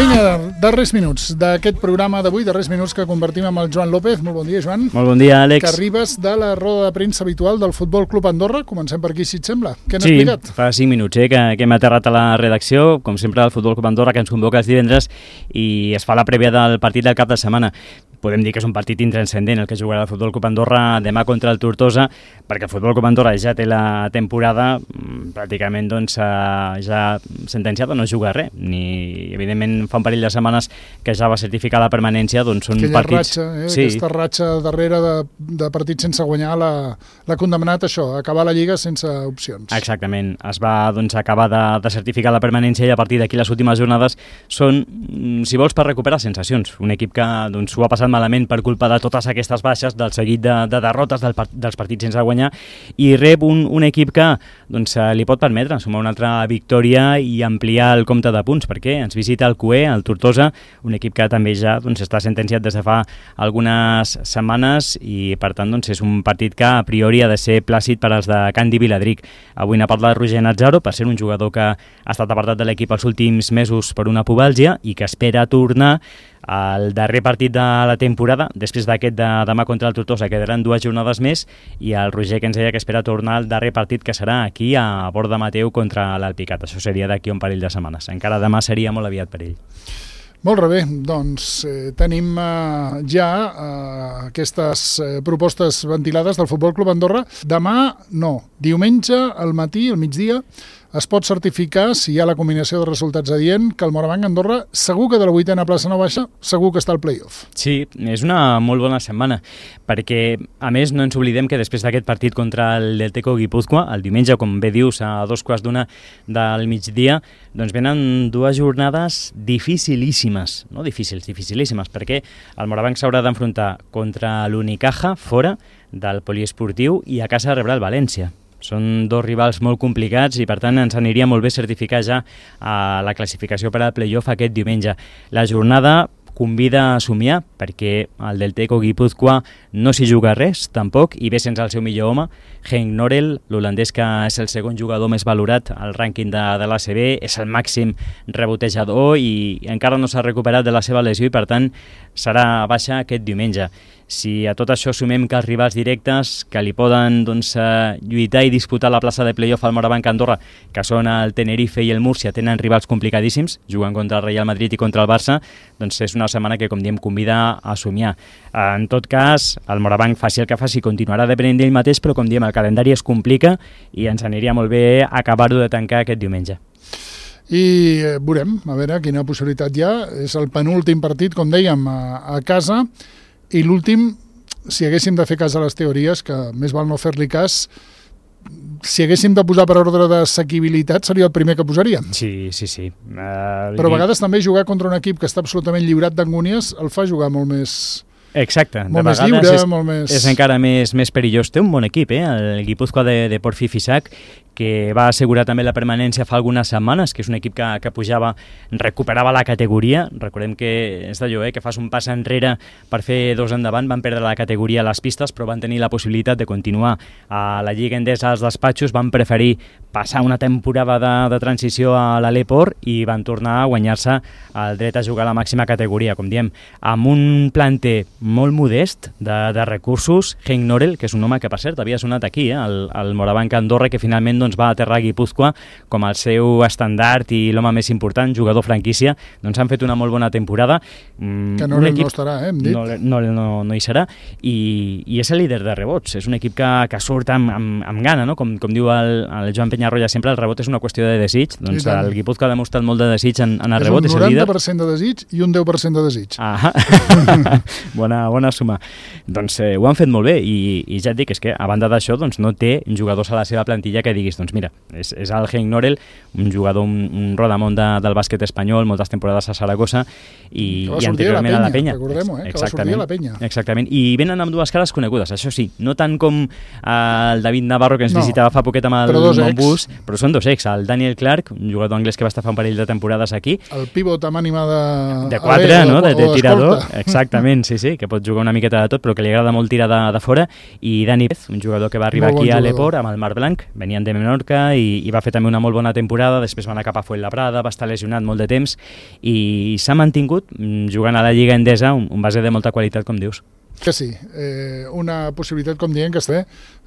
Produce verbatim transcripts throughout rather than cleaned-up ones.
Vinga, darrers minuts d'aquest programa d'avui, darrers minuts que convertim amb el Joan López. Molt bon dia, Joan. Molt bon dia, Àlex. Que arribes de la roda de premsa habitual del Futbol Club Andorra. Comencem per aquí, si et sembla. Què n'has sí, explicat? Sí, fa cinc minuts eh, que, que hem aterrat a la redacció, com sempre, del Futbol Club Andorra, que ens convoca els divendres i es fa la prèvia del partit del cap de setmana. Podem dir que és un partit intranscendent el que jugarà el Futbol Club Andorra demà contra el Tortosa, perquè el Futbol Club Andorra ja té la temporada pràcticament doncs, ja sentenciada, no juga res, ni evidentment fa un parell de setmanes que ja va certificar la permanència, doncs són Aquella partits... Ratxa, eh? sí. Aquesta ratxa darrere de, de partits sense guanyar l'ha condemnat això, a acabar la Lliga sense opcions. Exactament, es va doncs, acabar de, de certificar la permanència i a partir d'aquí les últimes jornades són, si vols, per recuperar sensacions. Un equip que doncs, ho ha passat malament per culpa de totes aquestes baixes, del seguit de, de derrotes del, dels partits sense guanyar, i rep un, un equip que doncs, li pot permetre sumar una altra victòria i ampliar el compte de punts, perquè ens visita el Cué, el Tortosa, un equip que també ja doncs, està sentenciat des de fa algunes setmanes i per tant doncs, és un partit que a priori ha de ser plàcid per als de Candi Viladric. Avui n'ha parlat Roger Nazzaro, per ser un jugador que ha estat apartat de l'equip els últims mesos per una pubalgia i que espera tornar al darrer partit de la temporada. Després d'aquest de demà contra el Tortosa quedaran dues jornades més i el Roger que ens deia que espera tornar al darrer partit, que serà aquí a Borda Mateu contra l'Alpicat. Això seria d'aquí un parell de setmanes. Encara demà seria molt aviat per ell. Molt bé, doncs eh, tenim eh, ja eh, aquestes eh, propostes ventilades del Futbol Club Andorra. Demà no, diumenge al matí, al migdia, es pot certificar, si hi ha la combinació de resultats adient, que el Morabanc Andorra segur que de la vuitena plaça no baixa, segur que està al play-off. Sí, és una molt bona setmana, perquè a més no ens oblidem que després d'aquest partit contra el Delteco Guipúzcoa, el diumenge, com bé dius, a dos quarts d'una del migdia, doncs venen dues jornades dificilíssimes, no difícils, dificilíssimes, perquè el Morabanc s'haurà d'enfrontar contra l'Unicaja, fora del poliesportiu, i a casa rebrà el València. Són dos rivals molt complicats i per tant ens aniria molt bé certificar ja a la classificació per al play-off aquest diumenge. La jornada convida a somiar perquè el Delteco Guipúzcoa no s'hi juga res tampoc i ve sense el seu millor home, Henk Norel, l'holandès que és el segon jugador més valorat al rànquing de, de l'A C B, és el màxim rebotejador i encara no s'ha recuperat de la seva lesió i per tant serà baixa aquest diumenge. Si a tot això sumem que els rivals directes que li poden doncs, lluitar i disputar la plaça de play-off al Morabanc Andorra, que són el Tenerife i el Múrcia, tenen rivals complicadíssims, juguen contra el Real Madrid i contra el Barça, doncs és una setmana que, com diem, convida a somiar. En tot cas, el Morabanc faci el que faci, continuarà depenent d'ell mateix, però com diem, el calendari es complica i ens aniria molt bé acabar-ho de tancar aquest diumenge. I eh, veurem, a veure quina possibilitat hi ha. És el penúltim partit, com dèiem, a, a casa. I l'últim, si haguéssim de fer cas a les teories, que més val no fer-li cas, si haguéssim de posar per ordre d'assequibilitat seria el primer que posaríem. Sí, sí, sí. Uh, Però a vegades també jugar contra un equip que està absolutament lliurat d'angúnies el fa jugar molt més... Exacte, molt de més vegades lliure, és, molt més... és encara més, més perillós. Té un bon equip, eh? El Guipúzcoa de, de Porfi Fisac, que va assegurar també la permanència fa algunes setmanes, que és un equip que, que pujava, recuperava la categoria. Recordem que és d'allò, eh? que fas un pas enrere per fer dos endavant, van perdre la categoria a les pistes, però van tenir la possibilitat de continuar a la Lliga Endesa als despatxos, van preferir passar una temporada de, de transició a l'Aleport i van tornar a guanyar-se el dret a jugar a la màxima categoria, com diem, amb un planter molt modest de, de recursos. Henk Norel, que és un home que, per cert, havia sonat aquí, eh? el, el Morabanc Andorra, que finalment doncs, va aterrar a Guipúzcoa com el seu estandard i l'home més important, jugador franquícia, doncs han fet una molt bona temporada. Mm, que Norel equip, no estarà, eh, hem dit. No, no, no, no hi serà, i, i és el líder de rebots. És un equip que, que surt amb, amb, amb gana, no? com, com diu el, el Joan Peñarroya sempre, el rebot és una qüestió de desig. Doncs el Guipúzcoa ha demostrat molt de desig en, en el és rebot, és el líder. És un noranta per cent de desig i un deu per cent de desig. Ah, bona, bona suma. Doncs eh, ho han fet molt bé i, i ja et dic, és que a banda d'això doncs, no té jugadors a la seva plantilla que diguis, doncs mira, és, és el Henk Norel, un jugador, un, un rodamont de, del bàsquet espanyol, moltes temporades a Saragossa i, i anteriorment a la Penya. Recordem-ho, eh? que va sortir a la Penya. Exactament, i venen amb dues cares conegudes, això sí, no tant com eh, el David Navarro que ens no, visitava fa poquet amb el Montbus, però són dos ex, el Daniel Clark, un jugador anglès que va estar fa un parell de temporades aquí. El pivot amb ànima de... De quatre, no? De, de tirador, exactament, sí, sí, que pot jugar una miqueta de tot, però que li agrada molt tirar de, de fora, i Dani Pérez, un jugador que va arribar bon aquí jugador. a l'Eport amb el Mar Blanc, venien de Menorca i, i va fer també una molt bona temporada, després va anar cap a Fuenlabrada, va estar lesionat molt de temps i s'ha mantingut jugant a la Lliga Endesa, un, un base de molta qualitat, com dius. Que sí, eh, una possibilitat, com dient, que està bé.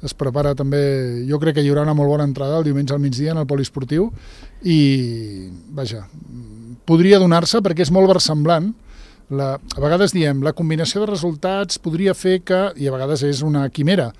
Es prepara també, jo crec que hi haurà una molt bona entrada el diumenge al migdia en el poliesportiu i, vaja, podria donar-se perquè és molt versemblant. La, a vegades diem, la combinació de resultats podria fer que, i a vegades és una quimera,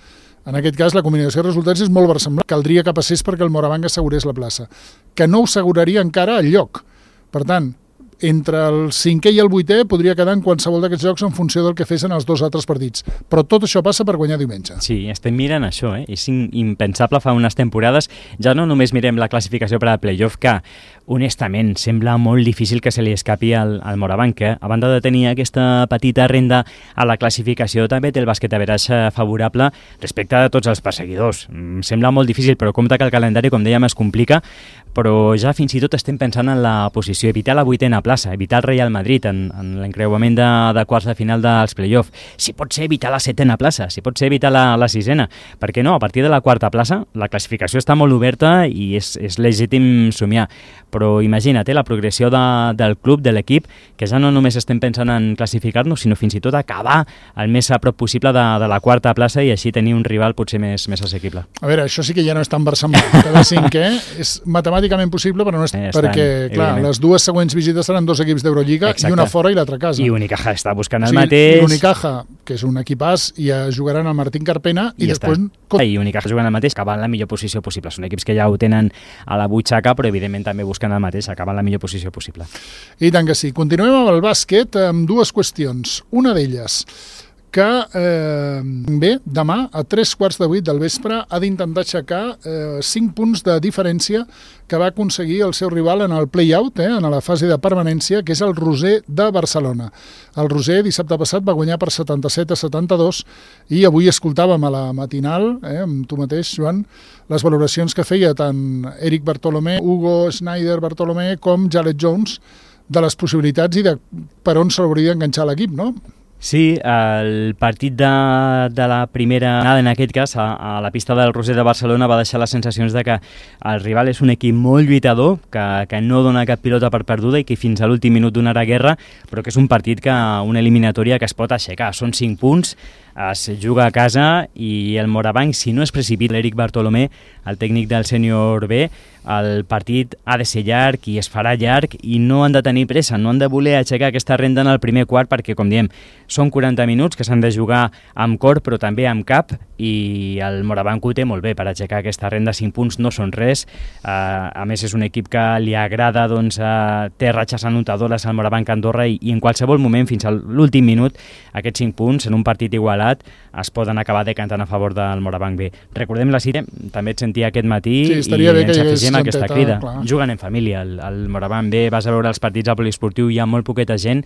en aquest cas la combinació de resultats és molt versemblant, caldria que passés perquè el Morabanc assegurés la plaça, que no ho asseguraria encara el lloc. Per tant, entre el cinquè i el vuitè podria quedar en qualsevol d'aquests jocs en funció del que fessin els dos altres partits. Però tot això passa per guanyar diumenge. Sí, estem mirant això, eh? És impensable fa unes temporades. Ja no només mirem la classificació per al playoff, que honestament sembla molt difícil que se li escapi al, al Morabanc, eh? A banda de tenir aquesta petita renda a la classificació, també té el bàsquet average favorable respecte a tots els perseguidors. Mm, sembla molt difícil, però compte que el calendari, com dèiem, es complica, però ja fins i tot estem pensant en la posició, evitar la vuitena plaça, evitar el Real Madrid en, en l'encreuament de, de quarts de final dels play-off, si pot ser evitar la setena plaça, si pot ser evitar la, la sisena, perquè no, a partir de la quarta plaça la classificació està molt oberta i és, és legítim somiar, però imagina't eh, la progressió de, del club, de l'equip, que ja no només estem pensant en classificar-nos, sinó fins i tot acabar el més a prop possible de, de la quarta plaça i així tenir un rival potser més, més assequible. A veure, això sí que ja no és tan versemblant. Cada cinquè és matemàticament possible, però no és... Eh, perquè, clar, les dues següents visites seran dos equips d'Eurolliga i una fora i l'altra a casa. I Unicaja està buscant el o sigui, mateix. L'Unicaja, que és un equipàs, i jugaran al Martín Carpena i, I després... Està. I Unicaja jugant el mateix, acabant la millor posició possible. Són equips que ja ho tenen a la butxaca, però evidentment també busquen el mateix, acabant la millor posició possible. I tant que sí. Continuem amb el bàsquet amb dues qüestions. Una d'elles, que eh, bé, demà a tres quarts de vuit del vespre ha d'intentar aixecar eh, cinc punts de diferència que va aconseguir el seu rival en el play-out, eh, en la fase de permanència, que és el Roser de Barcelona. El Roser dissabte passat va guanyar per setanta-set a setanta-dos i avui escoltàvem a la matinal, eh, amb tu mateix, Joan, les valoracions que feia tant Eric Bartolomé, Hugo Schneider Bartolomé com Jared Jones de les possibilitats i de per on s'hauria d'enganxar l'equip, no? Sí, el partit de, de la primera anada, en aquest cas, a, a la pista del Roser de Barcelona, va deixar les sensacions de que el rival és un equip molt lluitador, que, que no dona cap pilota per perduda i que fins a l'últim minut donarà guerra, però que és un partit, que una eliminatòria que es pot aixecar. Són cinc punts, es juga a casa i el Morabanc, si no es precipita l'Eric Bartolomé, el tècnic del sènior B, el partit ha de ser llarg i es farà llarg i no han de tenir pressa, no han de voler aixecar aquesta renda en el primer quart perquè, com diem, són quaranta minuts que s'han de jugar amb cor però també amb cap i el Morabanc ho té molt bé per aixecar aquesta renda. Cinc punts no són res, uh, a més és un equip que li agrada, doncs, uh, té ratxes anotadores al Morabanc Andorra i, i en qualsevol moment, fins a l'últim minut, aquests cinc punts en un partit igualat es poden acabar decantant a favor del Morabanc B. Recordem la cita, també et sentia aquest matí sí, i ens afegim aquesta genteta, crida. clar. Juguen en família, el, el Morabanc B, vas a veure els partits al poliesportiu, hi ha molt poqueta gent,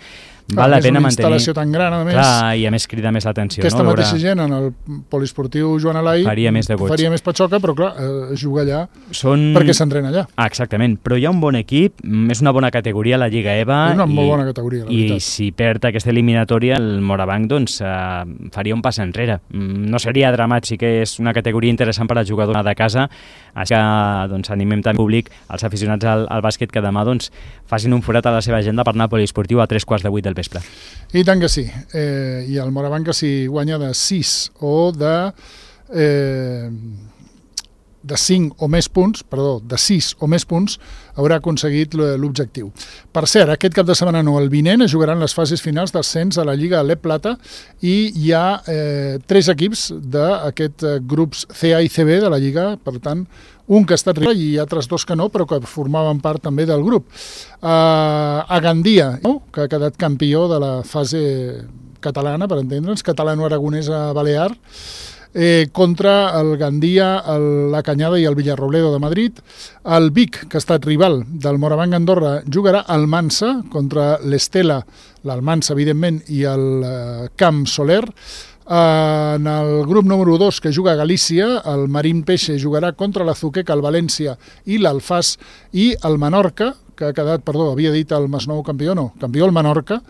val la pena mantenir... És una instal·lació tan gran, a més. Clar, i a més crida més l'atenció. Aquesta no? mateixa gent en el poliesportiu Joan Alai faria més de goig. Faria més patxoca, però clar, eh, juga allà Són... perquè s'entrena allà. Ah, exactament, però hi ha un bon equip, és una bona categoria la Lliga E V A. És una i, molt bona categoria, la i veritat. si perd aquesta eliminatòria, el Morabanc doncs, eh, faria un pas enrere. No seria dramàtic, és una categoria interessant per al jugador de casa, així que doncs, animem també públic, els aficionats al, al bàsquet, que demà doncs, facin un forat a la seva agenda per anar al poliesportiu a tres quarts de vuit del vespre. I tant que sí. Eh, I el Morabanc, que si guanya de sis o de... Eh, de cinc o més punts, perdó, de sis o més punts, haurà aconseguit l'objectiu. Per cert, aquest cap de setmana no, el vinent es jugaran les fases finals d'ascens a la Lliga Alep Plata i hi ha eh, tres equips d'aquest eh, grups C A i C B de la Lliga, per tant, un que ha estat rival i altres dos que no, però que formaven part també del grup. Eh, a Gandia, no? Que ha quedat campió de la fase catalana, per entendre'ns, catalano-aragonesa balear, Eh, contra el Gandia, el, la Canyada i el Villarrobledo de Madrid. El Vic, que ha estat rival del Morabanc Andorra, jugarà al Mansa contra l'Estela, l'Almansa, evidentment, i el eh, Camp Soler. Eh, en el grup número dos, que juga a Galícia, el Marín Peixe jugarà contra l'Azuqueca, el València i l'Alfàs, i el Menorca, que ha quedat, perdó, havia dit el Masnou campió, no, campió el Menorca,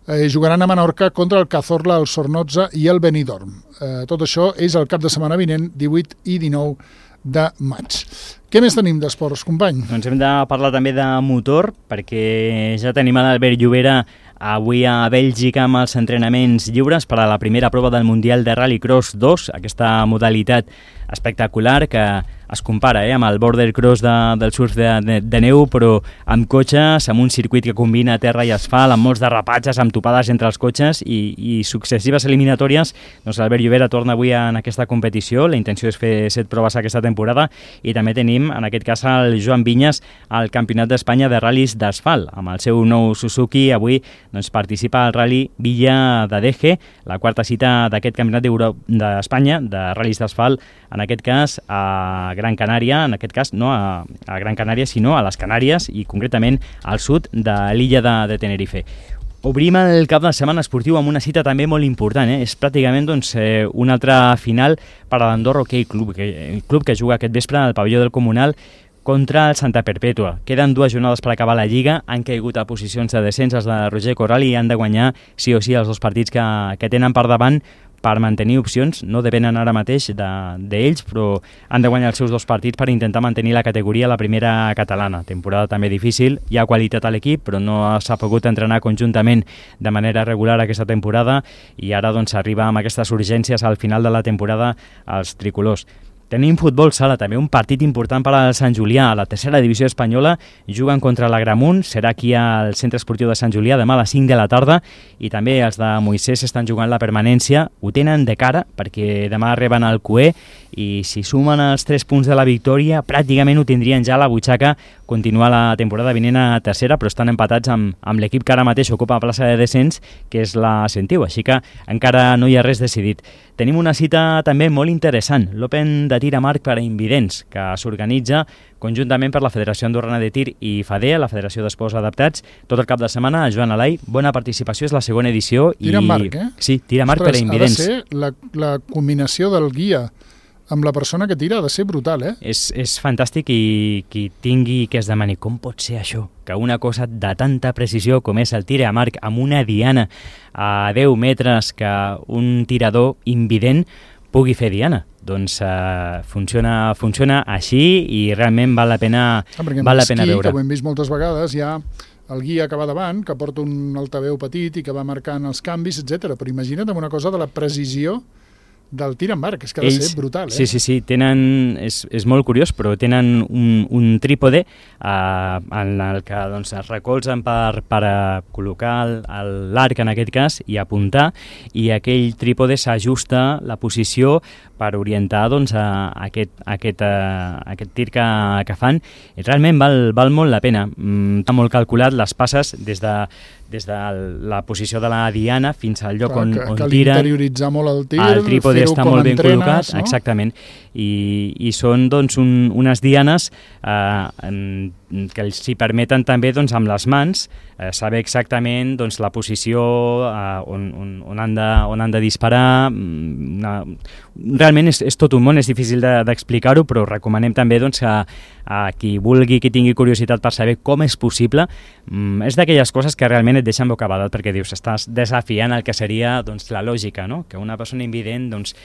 eh, jugaran a Menorca contra el Cazorla, el Sornoza i el Benidorm. Eh, tot això és el cap de setmana vinent, divuit i dinou de maig. Què més tenim d'esports, company? Doncs hem de parlar també de motor, perquè ja tenim a l'Albert Llobera avui a Bèlgica amb els entrenaments lliures per a la primera prova del Mundial de Rallycross dos, aquesta modalitat espectacular que es compara eh, amb el border cross de, del surf de, de, de neu, però amb cotxes, amb un circuit que combina terra i asfalt, amb molts derrapatges, amb topades entre els cotxes i, i successives eliminatòries. Doncs l'Albert Llobera torna avui en aquesta competició, la intenció és fer set proves aquesta temporada i també tenim en aquest cas el Joan Vinyes al Campionat d'Espanya de ral·lis d'asfalt. Amb el seu nou Suzuki avui doncs, participa al Rally Villa de Deje, la quarta cita d'aquest Campionat d'Espanya de ral·lis d'asfalt, en aquest cas a Gran Canària, en aquest cas no a, a Gran Canària sinó a les Canàries i concretament al sud de l'illa de, de Tenerife. Obrim el cap de setmana esportiu amb una cita també molt important, eh? És pràcticament doncs, eh, una altra final per a l'Andorra Hockey Club, que, el club que juga aquest vespre al pavelló del Comunal contra el Santa Perpètua. Queden dues jornades per acabar la Lliga, han caigut a posicions de descens els de Roger Corral i han de guanyar sí o sí els dos partits que, que tenen per davant per mantenir opcions, no depenen ara mateix d'ells, de, però han de guanyar els seus dos partits per intentar mantenir la categoria a la primera catalana. Temporada també difícil, hi ha qualitat a l'equip, però no s'ha pogut entrenar conjuntament de manera regular aquesta temporada i ara doncs arriba amb aquestes urgències al final de la temporada als tricolors. Tenim futbol sala, també un partit important per al Sant Julià. A la tercera divisió espanyola juguen contra l'Agramunt, serà aquí al Centre Esportiu de Sant Julià demà a les cinc de la tarda i també els de Moisès estan jugant la permanència. Ho tenen de cara perquè demà reben el Cué i si sumen els tres punts de la victòria pràcticament ho tindrien ja a la butxaca continuar la temporada vinent a tercera, però estan empatats amb, amb l'equip que ara mateix ocupa la plaça de descens, que és la Sentiu, així que encara no hi ha res decidit. Tenim una cita també molt interessant, l'Open de tir a marc per a invidents, que s'organitza conjuntament per la Federació Andorrana de Tir i FADEA, la Federació d'Esports Adaptats, tot el cap de setmana. Joan Alai, bona participació, és la segona edició. Tir a marc, eh? Sí, tir a marc per a invidents. Ha de ser la, la combinació del guia amb la persona que tira, ha de ser brutal, eh? És, és fantàstic i qui tingui que es demani com pot ser això, que una cosa de tanta precisió com és el tir a marc amb una diana a deu metres que un tirador invident pugui fer diana. Doncs uh, funciona, funciona així i realment val la pena, ah, val la pena veure. Que ho hem vist moltes vegades, hi ha el guia que va davant, que porta un altaveu petit i que va marcant els canvis, etcètera. Però imagina't amb una cosa de la precisió del tir en marc, és que ha de Ells, ser brutal, eh? Sí, sí, sí, tenen, és, és molt curiós, però tenen un, un trípode eh, en el que doncs, es recolzen per, per col·locar l'arc en aquest cas i apuntar, i aquell trípode s'ajusta la posició per orientar doncs, a aquest, a aquest, a aquest tir que, que fan. I realment val, val molt la pena. Mm, està molt calculat les passes des de, des de la posició de la diana fins al lloc Clar, on, que, on que tiren. Interioritzar molt el tir, el trípode està molt ben entrenes, col·locat, no? Exactament, i, i són doncs, un, unes dianes eh, que els hi permeten també doncs, amb les mans eh, saber exactament doncs, la posició eh, on, on, on, han de, on han de disparar. Una, realment és, és tot un món, és difícil d'explicar-ho, de, però recomanem també doncs, a, a qui vulgui, qui tingui curiositat per saber com és possible. Mm, és d'aquelles coses que realment et deixen bocabadat, perquè dius, estàs desafiant el que seria doncs, la lògica, no? Que una persona invident doncs,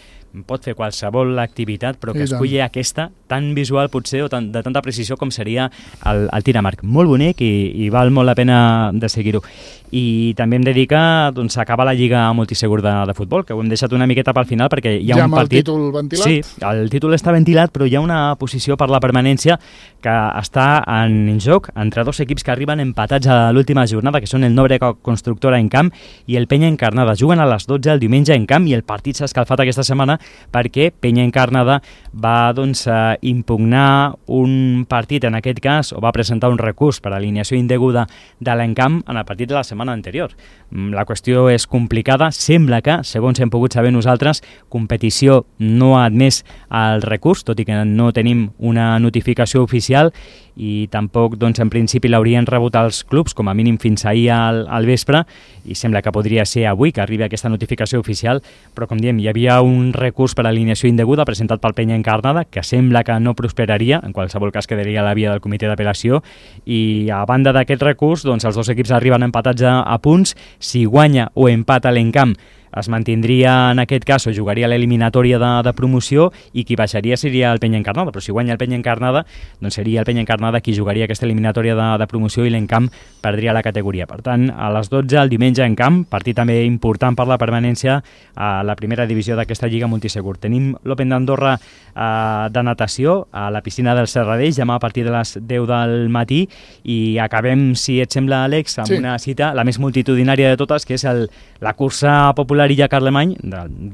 pot fer qualsevol activitat, però que esculli aquesta tan visual potser o tan, de tanta precisió com seria el, el tir a marc. Molt bonic i, i val molt la pena de seguir-ho. I també hem de dir que doncs, acaba la Lliga Multisegur de, de futbol, que ho hem deixat una miqueta pel final perquè hi ha ja un partit... Ja amb el títol ventilat? Sí, el títol està ventilat, però hi ha una posició per la permanència que està en joc entre dos equips que arriben empatats a l'última jornada, que són el Nobre Constructora en camp i el Penya Encarnada. Juguen a les dotze el diumenge en camp i el partit s'ha escalfat aquesta setmana perquè Penya Encarnada va doncs, eh, impugnar un partit, en aquest cas, o va presentar un recurs per alineació indeguda de l'Encamp en el partit de la setmana anterior. La qüestió és complicada, sembla que, segons hem pogut saber nosaltres, competició no ha admès el recurs, tot i que no tenim una notificació oficial, i tampoc, doncs, en principi l'haurien rebut els clubs, com a mínim fins ahir al, al vespre, i sembla que podria ser avui que arribi aquesta notificació oficial, però com diem, hi havia un recurs per alineació indeguda presentat pel Penya Encarnada, que sembla que no prosperaria, en qualsevol cas quedaria a la via del comitè d'apel·lació, i a banda d'aquest recurs, doncs, els dos equips arriben empatats a, a punts. Si guanya o empata l'Encamp, es mantindria en aquest cas o jugaria l'eliminatòria de, de promoció, i qui baixaria seria el Penya Encarnada, però si guanya el Penya Encarnada, doncs seria el Penya Encarnada qui jugaria aquesta eliminatòria de, de promoció i l'Encamp perdria la categoria. Per tant, a les dotze el diumenge en camp, partit també important per la permanència a la primera divisió d'aquesta Lliga Multisegur. Tenim l'Open d'Andorra eh, de natació a la piscina del Serradell demà a partir de les deu del matí, i acabem, si et sembla, Àlex, amb sí. una cita, la més multitudinària de totes, que és el, la cursa popular Illa Carlemany,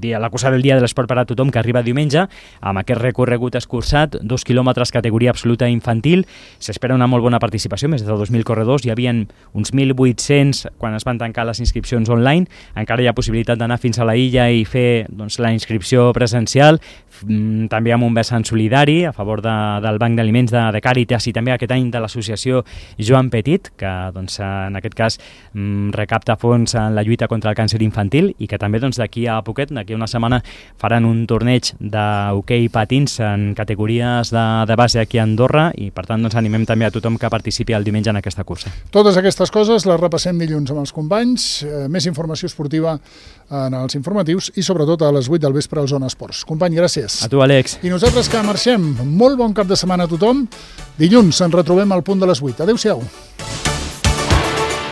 dia, la cursa del dia de l'esport per a tothom, que arriba diumenge amb aquest recorregut escurçat, dos quilòmetres, categoria absoluta infantil. S'espera una molt bona participació, més de dos mil corredors, hi havia uns mil vuit-cents quan es van tancar les inscripcions online. Encara hi ha possibilitat d'anar fins a la illa i fer, doncs, la inscripció presencial, també amb un vessant solidari a favor de, del Banc d'Aliments de, de Càritas, i també aquest any de l'associació Joan Petit, que, doncs, en aquest cas recapta fons en la lluita contra el càncer infantil, i que també, doncs, d'aquí a poquet, d'aquí a una setmana, faran un torneig d'hoquei patins en categories de, de base aquí a Andorra, i per tant, doncs, animem també a tothom que participi el diumenge en aquesta cursa. Totes aquestes coses les repassem dilluns amb els companys, eh, més informació esportiva en els informatius i sobretot a les vuit del vespre al Zona Esports. Company, gràcies. A tu, Àlex. I nosaltres que marxem, molt bon cap de setmana a tothom. Dilluns ens retrobem al punt de les vuit. Adéu-siau.